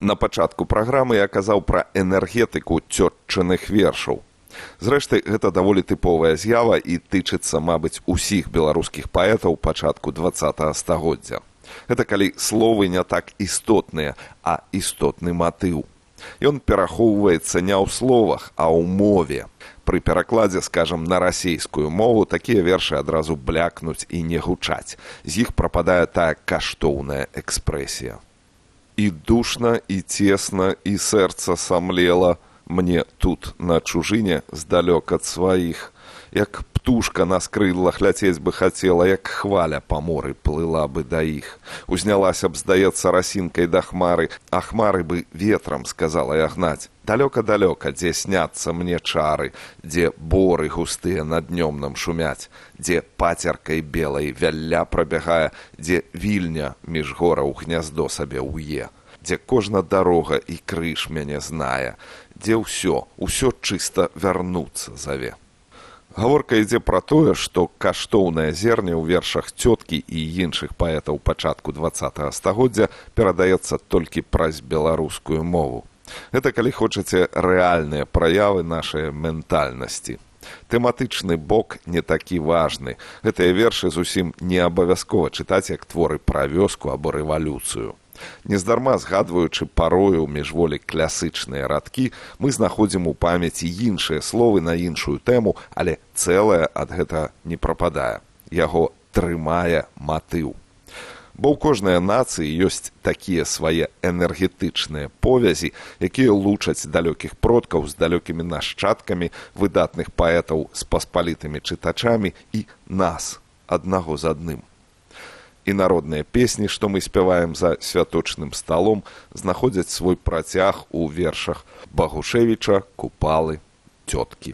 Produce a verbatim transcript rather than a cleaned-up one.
На пачатку праграмы я казаў пра энергетыку цётчыных вершаў. Зрэшты, гэта даволі тыповая з'ява і тычыцца, мабыць, усіх беларускіх паэтаў пачатку дваццатага стагоддзя. Гэта калі словы не так істотныя, а істотны матыў. Ён перахоўваецца не ў словах, а ў мове. Пры перакладзе, скажам, на расейскую мову такія вершы адразу блякнуць і не гучаць. З іх прападае тая каштоўная экспрэсія. І душна, і цесна, і сэрца самлела мне тут, на чужыне, здалёк ад сваіх. Як птушка на скрыллах ляцець бы хацела, як хваля па моры плыла бы да іх. Узнялася б, здаецца, расінкай да хмары, а хмары бы ветрам, сказала я гнаць. Далёка-далёка, дзе сняцца мне чары, дзе боры густыя над днём нам шумяць, дзе пацеркай белай вялля прабягае, дзе вільня між гораў гняздо сабе ўе, дзе кожна дарога і крыж мяне знае, дзе ўсё, ўсё чыста вярнуцца заве. Гаворка ідзе пра тое, што каштоўнае зерне ў вершах цёткі і іншых паэтаў пачатку дваццатага стагоддзя перадаецца толькі праз беларускую мову. Гэта, калі хочаце, рэальныя праявы нашай ментальнасці. Тэматычны бок не такі важны. Гэтыя вершы зусім не абавязкова чытаць як творы пра вёску або рэвалюцыю. Нездарма згадваючы парою міжволі класычныя радкі, мы знаходзім у памяці іншыя словы на іншую тэму, але цэлае ад гэтага не прападае. Яго трымае матыў. Бо ў кожнай нацыі ёсць такія свае энергетычныя повязі, якія лучаць далёкіх продкаў з далёкімі нашчадкамі, выдатных паэтаў з паспалітымі чытачамі і нас, аднаго з адным. І народныя песні, што мы спяваем за святочным сталом, знаходзяць свой працяг у вершах Багушевіча, Купалы, Цёткі.